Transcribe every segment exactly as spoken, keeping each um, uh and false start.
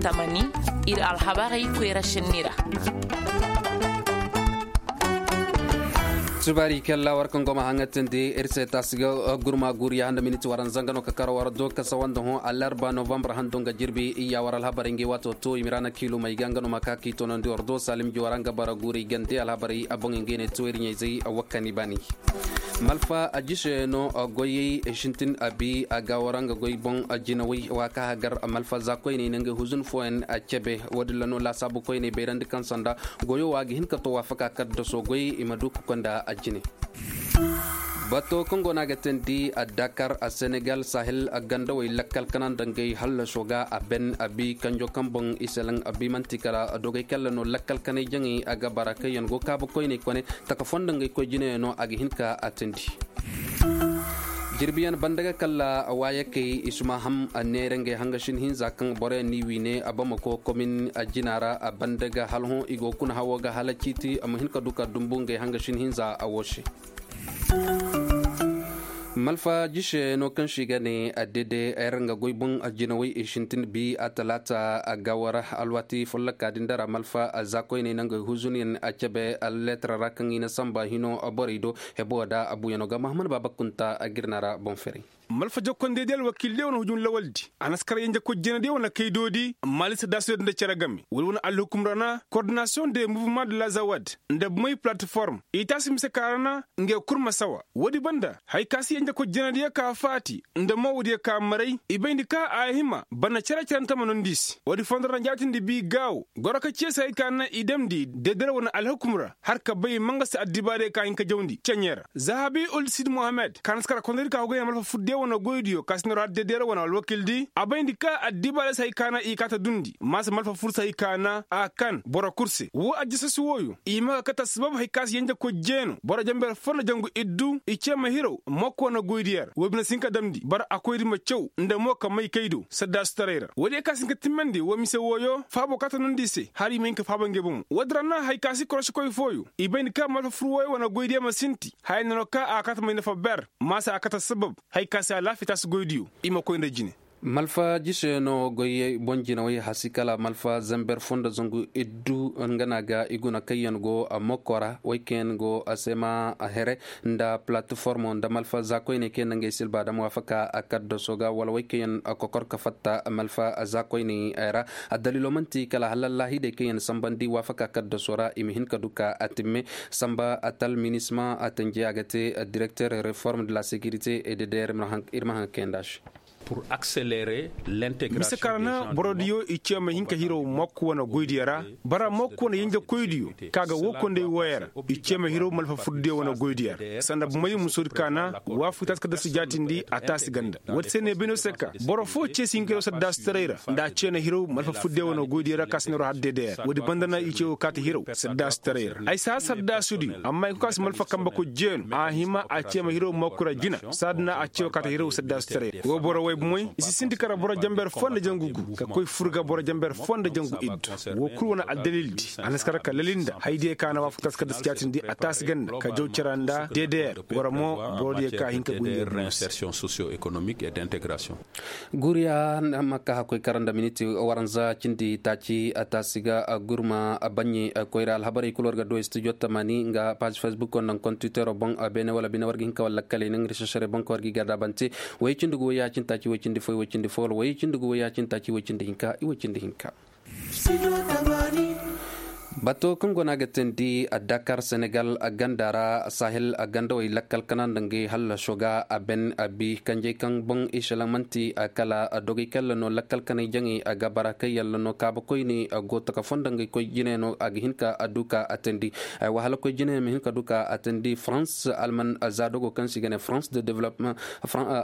Tamani, ir alhabarey koyra šenni ra. Subaari kalla war kaŋ go ma haŋatandi ir se taasi ga gurma guuri ya handa miniti waranza nga no ka kar war do kasa wanda hõ alarba novambar hando nga jirbi iyya war alhabarey ngey waato to i ma ra na kiilumey ga nga no ma ka k'i toonandi war do salim ji war nga bara guuri gande alhabarey a boŋ ngey ne to ir ɲayzey wakkani baani. Malfa a jise no goyey sintin a bi a ga war nga goy boŋ jinawey wa ka hagar malfa za koyney na ngey huzun fooyaŋ a cebe wo- din ra no laasaabu koyney bayrandi kaŋ sanda goyo wo a ga hin ka to waafaka kaddaso goy i ma du ka konda a jine. Bato kaŋ go no a ga teendi a dakar a senegal sahel a gandawey lakkal kana nda ngey hallaso ga a ben a bi kanjo kaŋ boŋ i selaŋ a bi man'ti kala dogey kalla no lakkal kanay jaŋey a ga bara kaŋ yaŋ go kaabu koyney kone taka foo nda ngey koy jinayaŋ no a ga hin ka a teendi. Jirbiyaŋ banda ga kalla waayakey i si ma ham a neera ngey hangasin hinza kaŋ boroyaŋ n'i wiine a bamako komin a jina ra a banda ga hala hõ i go kuna hawo ga hala ciiti a ma hin ka du ka dumbu ngey hangasin hinza a wo se. Malfa jise no kaŋ se i ga ne a dede ay ra nga goy boŋ jinawey i sintin bi a talaata a ga war alwaati folloka din dara malfa a za koyney nangey huzuniyaŋ a cebe alleetara ra kaŋ i na samba hino borey do hebo da a buuyano ga mahaman baaba kunta a ga ir na ra boŋ ferey. Malfa jokkondey di alwakiil di wane hujum lawal di a na si kar yenjekoy jina di wane kay doodi. Mali saddaasudi nda cere game wala wane alhukum ra na kordinasiyoŋ de muvuma de lazawad nda bumey palatiform i taasi mise ka ra na ngey kul ma sawa. Woodi banda haya ka si yenjekoy jina diyo ka faati nda moowo diyo ka maray i bayndi ka a hima banda cere cere nta ma nondi i se woodi fondo ra na jaatindi bi gaawo goro ka ceesi haya ka na i damndi deedere wane alhukum ra har ka bay mangasi addibaadiyo ka hin ka jawndi ceɲe ra zahabi ulsid mohammed ka na si kar kondodi ka hogay na malfa fur diyo wane goydiyo ka si noro har deedere wane alwakiil di a bayndi ka addibaadiyo si haya ka na i kaata dundi maasa malfa fur si haya ka na a kan boro kul se woo ajjasasi wooyo i ma ka kate assabab haya ka si yenjekoy jeeno boro jenber foo nda jangu iddu i cee ma hirow mokko wane goydiyo ra woo bine si hin ka damndi bara a koyri ma caw nda mo ka may kay do saddaasutaray ra woodiyo ka si hin ka timmandi woo mise wooyo faabo kaata nondi i se hala i ma hin ka faaba ngey bomo woodi ra na haya ka si korosikoy fooyo i bayndi ka malfa fur wooyo wane goydiyo ma sinti haya nano ka a kaata may nafa ber maasa a kaata assabab haya ka si alaafiya taasi goydiyo i ma koy nda jine. Malfa jise no goyey boŋ jinawey hasi kala malfa zember foo nda zangu iddu nga na ga i guna kaŋ yaŋ go a mokko ra wey kaŋ yaŋ go a se ma a here nda palatiformo nda malfa za koyney kaŋ yaŋ na ngey silba dam waafaka a kaddaso ga wala wey kaŋ yaŋ a kokor ka fatta malfa za koyney ra. Addaliilo man'ti kala hala allahidey kaŋ yaŋ sambandi waafaka kaddaso ra i ma hin ka du ka a timme samba atal minisma a tanji a ga te direkter reform de la securité et de der ir ma haŋ kaŋ yaŋ nda a se. Mise kaŋ ra na borodiyo i ce ma hin ka hiro mokko wane goydiyo ra bara mokko wane yenjekoydiyo kaŋ a ga woo konday wooyo ra i ce ma hiro malfa furdiyo wane goydiyo ra sanda bumey musoodi kaŋ na waafu taasi ka dasi jaatindi a taasi ganda woodi se ne bino se ka boro foo ce si hin ka hiro saddaasutaray ra nda a ce na hiro malfa furdiyo wane goydiyo ra kaŋ a si na hiro har deedeyo ra woodi banda na i ce woo kaati hiro saddaasutaray ra ay si har saddaasudiyo amma i koy ka si malfa kambe koy jeenu a hima a ce ma hiro mokko ra jina saadi na a ce woo kaati hiro saddaasutaray ra woo boro wey bumey i si sinti kara boro jamber foo nda jangu gu ka koy fur ga boro jamber foo nda jangu iddu woo kul wane aldalildi a na si kara ka lalinda haydiyo ka na waafu taasi ka dasi jaatindi a taasi ganda ka jaw cera nda deedeyo ra war mo borodiyo ka hin ka goy nda insertion socio économique et d' intégration. Guuriya na ma ka hakkoy kara nda miniti waranza cindi taaci a taasi ga gurma baɲɲe koyra alhabarey kul war ga du studio tamani nga page facebook nda nga computer boŋ beene wala bine war ga hin ka wala lakkaley nda nga rechercherey boŋ ka war ga i garda bante. Way cindi gu way ya cindi taaci way cindi fo way cindi fo wala way cindi gu way ya cindi taaci way cindi hinka i way cindi hinka. Bato kaŋ go no a ga teendi dakar senegal ganda ra sahel gandawey lakkal kana nda ngey hallaso ga a ben a bi kanjey kaŋ boŋ i selaŋ man'ti kala dogey kalla no lakkal kaney jaŋey a ga bara kaŋ yalla no kaabakoyne go taka fo nda ngey koy jine no a ga hin ka a du ka a teendi. Ay wahala koy jine ma hin ka du ka a teendi france alman za dogo kaŋ se i ga ne france de développement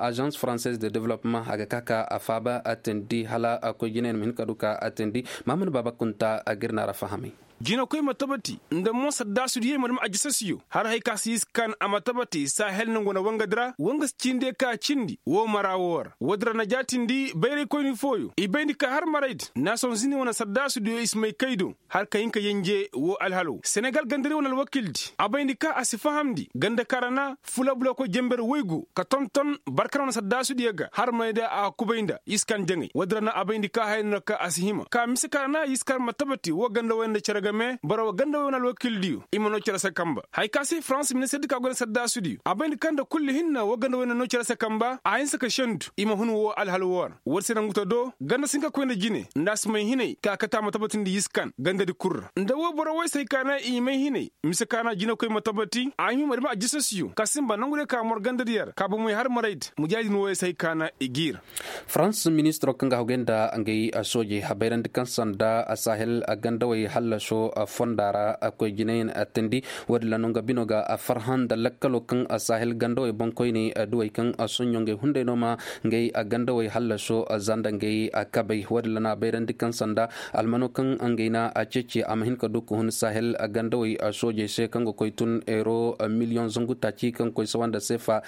agence française de développement a ga ka ka a faaba a teendi hala koy jine ma hin ka du ka a teendi. Maamana baaba kunta a ga ir na ra fahamay. Jinakoy ma tabati nda mo saddaasudiyey ma dam ajisasiyo har hay ka si iskan a ma tabati sahel nongu na wangadi ra wanga si cindi ka cindi woo mara woo ra woodi ra na jaatindi bayraykoyni fooyo i bayndi ka har maraydi naasonzini wane saddaasudiyo i si may kay do har ka hin ka yenje woo alhal woo senegal gandadi wane alwakildi a bayndi ka a si fahamndi ganda ka ra na fula bulakoy jenber woy go ka tonton barkan wane saddaasudiyo ga har maraydi a kubay nda iskan jaŋay woodi ra na a bayndi ka haya no na ka a si hima ka mise ka ra na iskan ma tabati woo ganda woy nda cere game boro woo ganda woy wane alwakildiyo i ma noo cere se kamba haya ka se farans ministirdi ka goy nda saddaasudiyo a bay nda kaŋ nda kulli hinna woo ganda woy nda noo cere se kamba a hinsa ka sendu i ma hun woo alhal woo ra woodi se nda nguta do ganda si hin ka koy nda jine nda a si may hinay ka kate a ma tabatindi yiskan gandadi kul ra nda woo boro woy se hay ka na i may hinay mise ka na jinakoy ma tabati a hima ma dam ajisasiyo ka sinba nongudiyo ka mor gandadiyo ra ka bomey har maraydi mujaahidin wooyo se hay ka na i g'i ra farans ministiroo kaŋ ga hagay nda ngey soojey a bayrandi kaŋ sanda sahel gandawey hallaso fonda ra koy jinayaŋ teendi woodin ra no nga bino ga farhã nda lakkaloo kaŋ sahel gandawey boŋkoyney duwey kaŋ soɲõ ngey hunday no ma ngey gandawey hallaso za nda ngey kabey woodin ra no a bayrandi kaŋ sanda almanoo kaŋ ngey na ceeci a ma hin ka du ka hun sahel gandawey soojey se kaŋ ga koy tun euro miliyoŋ zangu taaci kaŋ koy sawa nda seefa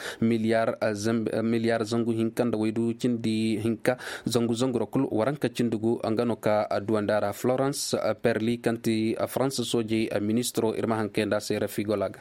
miliyar zangu hinka nda waydu cindi hinka zangu zangu ra kul waranka cindi gu nga no ka duwandi a ra florence perli kaŋ ti faransa soojey ministiro ir ma haŋ kayandi a se rafi gola ga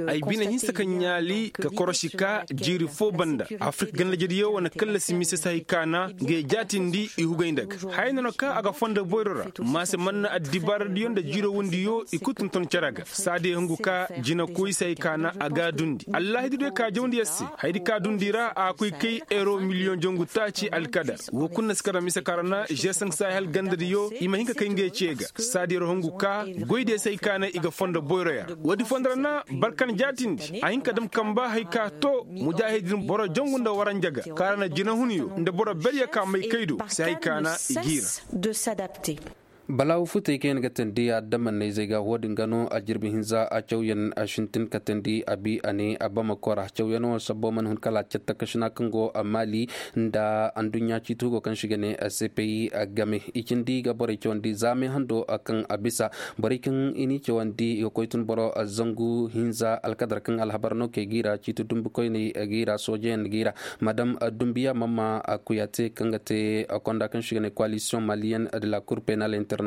ay bine hinsa ka ɲaali ka korosi ka jiiri fo banda afirka gandajediyo wane kallasi mise se hay kaana nga ye jaatindi i hugay nda ga haya no na ka a ga fondo boyro ra maase man na addibaaradiyo nda jiiro wundiyo i kul tonton cere ga saadiyo hungu ka jinakoy se hay kaana a ga a dundi allaahidi do ka jawndi yer se hayadi ka dundi ra a koy kay euro miliyoŋ jangu taaci alkadar woo kul na si kar mise ka ra na g cinq sahel gandadiyo i ma hin ka kay ngey ce ga saadi yer hungu ka goydiyo se hay kaana i ga fondo boyro yer woodi fondo ra na barkan jaatindi a hin ka dam kamba hay ka to mujaahidin boro jangu nda waranja ga ka ra na jinahunyo nda boro beryo ka may kay do se hay kaana i g'i ra balaawu futey kaŋ yaŋ ga teendi adamanney zey ga woodin ga no a jirbi hinza a cawyaŋ sintin ka teendi a bi a ne a bamako ra cawyaŋo sabbo mana hun kala catta kasina kaŋ go maali nda anduɲɲa ciiti hugo kaŋ se i ga ne cpi game i cindi ga borey cawandi za meehando kaŋ a bisa borey kaŋ i n'i cawandi i ga koy tun boro zangu hinza alkadar kaŋ alhabar no kay g'i ra ciiti dumbu koyney g'i ra soojeyaŋ g'i ra madam dumbiya mamma kuyaate kaŋ ga te konda kaŋ se i ga ne koalisiyoŋ maliyen de la kur penal international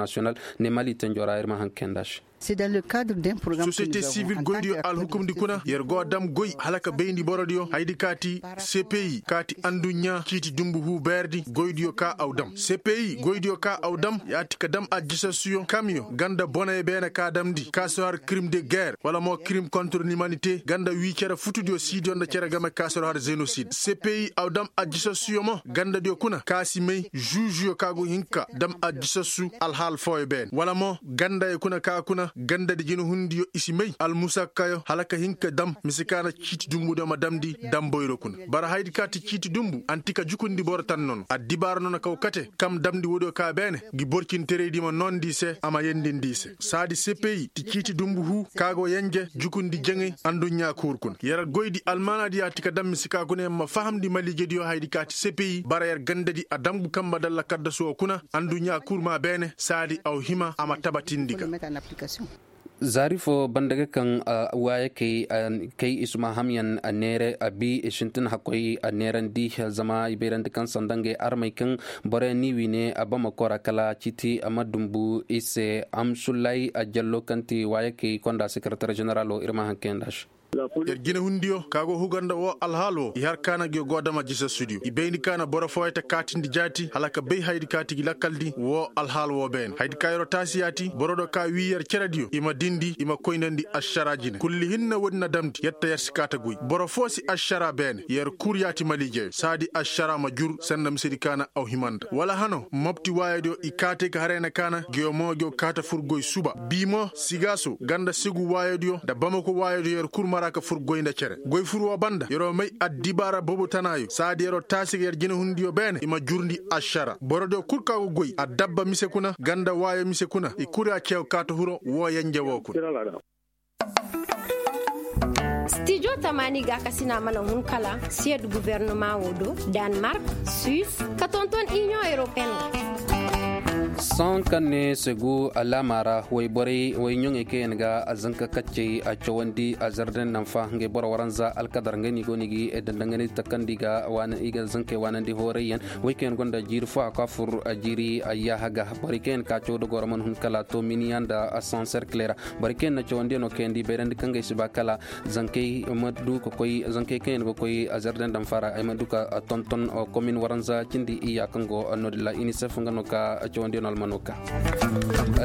ne mali tenjo ra ir ma haŋ kayandi a se sosiyete sivil goydiyo alhukumdi kuna yer go dam goy hala ka bayndi borodiyo hayadi ka ti cpi ka ti anduɲɲa ciiti dumbu hu beerdi goydiyo ka aw dam cpi goydiyo ka aw dam ya ti ka dam ajisasuyo kamyo ganda boney beene ka damndi ka si har krim de guerre wala mo krim kontre limanite ganda wii cere futudiyo siidiyo nda cere game ka si har zenosid cpi aw dam ajisasuyo mo gandadiyo kuna ka si may žužuyo ka go hin ka dam ajisassu alhaal fooyo beene wala mo gandayey kuna ka kuna gandadi jinahundiyo i si may almusakkayo hala ka hin ka dam mise ka na ciiti dumbudiyo ma damndi damboyro kuna bara hayadi ka ti ciiti dumbu anti ka jukundi boro tan nono addibaara nono kaw kate kam damndi woodiyo ka beene ngi borcintereydi ma noondi i se a ma yendindi i se saadi cpi ti ciiti dumbu huu ka go yenje jukundi jaŋay anduɲɲa kuur kuna yer goydi almaanaadi ya ti ka dam mise ka kuna yer ma fahamndi maliijediyo hayadi ka ti cpi bara yer gandadi a dam gu kamba dalla kaddasu woo kuna anduɲɲa kuur maa beene saadi aw hima a ma tabatindi ga zaari fo banda ga kaŋ waayakey kay i suma hamyaŋ neere a bi i sintin hakkoy neerandi zama i bayrandi kaŋ sanda ngey armey kaŋ boroyaŋ n'i wi ne a bamako ra kala ciiti a ma dumbu i se amsullay jallo kaŋ ti waayakey konda sekaratar ženeralo ir ma haŋ kayandi a se yer jinahundiyo ka go huga nda woo alhaal woo i har ka na ngi go dam ajisassudiyo i bayndi ka na boro fooyey ta kaatindi jaati hala ka bay hayadi ka ti gi lakkaldi woo alhaal woo beene hayadi ka yer'o taasi yaati borodiyo ka wii yer cerediyo i ma dindi i ma koynandi ašara jine kulli hinne woodi na damndi yer ta yer si kaa ta goy boro foo si ašara beene yer kul yaati maliijeyo saadi ašara ma jur sanda misedi ka na aw hima nda wala hano mopti waayodiyo i kaatey ka haray na kaana ngeyo mo ngeyo kaa ta fur goy suba bii mo sigaaso ganda segu waayodiyo nda bamako waayodiyo yer kul mara ka fur goy nda cere goy fur woo banda yer'o may addibaara boobo tanaayo saadi yer'o taasi ga yer jinahundiyo beene i ma jurndi ašara borodiyo kul ka go goy addabba mise kuna ganda waayo mise kuna i kul ya ceew kaa ta huro woo yenje woo kuna stijo tamaani gaakasina mana hun kala siyed guvernama woo do danmark suis ka tonton iniyoŋ europeen ga Sohõ kaŋ ne segu alaama ra wayborey way ɲoŋey kaŋ yaŋ ga a zanka kaccey a cawandi a zarden nanfa ngey boro waranza alkadar ngey no i go no i ga i danda ngey no i takandi i ga zankey waanandi hooray yaŋ. Way kaŋ yaŋ gonda jiiri fo a ko a fur jiiri yaaha ga borey kaŋ yaŋ ka caw da goro mana hun kala to miniya nda a sanserkle ra. Borey kaŋ yaŋ na cawandiyano kayandi bayrandi kaŋ ga ay si ba kala zankey ma du ka koy zankey kaŋ yaŋ ga koy a zarden danfa ra ay ma du ka tonton komin waranza cindi iyya kaŋ go no-din ra inisef nga no ka cawandiyano almano ka.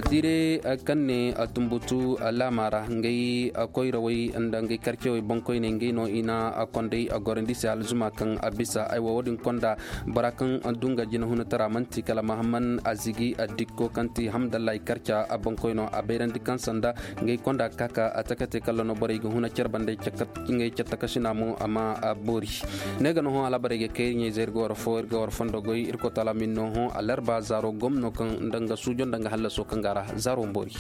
Tiire kaŋ ne tumbutu laama ra ngey koyrawey nda ngey karcewey boŋkoyney ngey no i na kondey gorandi se alzuma kaŋ a bisa ay wo wo-din konda bora kaŋ du nga jinahunatara manti kala mahamman azigi dikko kaŋ ti hamdallahi karca boŋkoyno a bayrandi kaŋ sanda ngey konda ka ka a takate kala no borey ga huna care banda ngey care takasina mo a ma boori. Ne ga no hõ alabarey ga kay ir ɲayzey ir ga war fo ir ga war fondo goy ir koy taala min no hõ alarba zaaro gomno kaŋ nda nga suujo nda nga hallaso kaŋ ga a ra zaaro boori.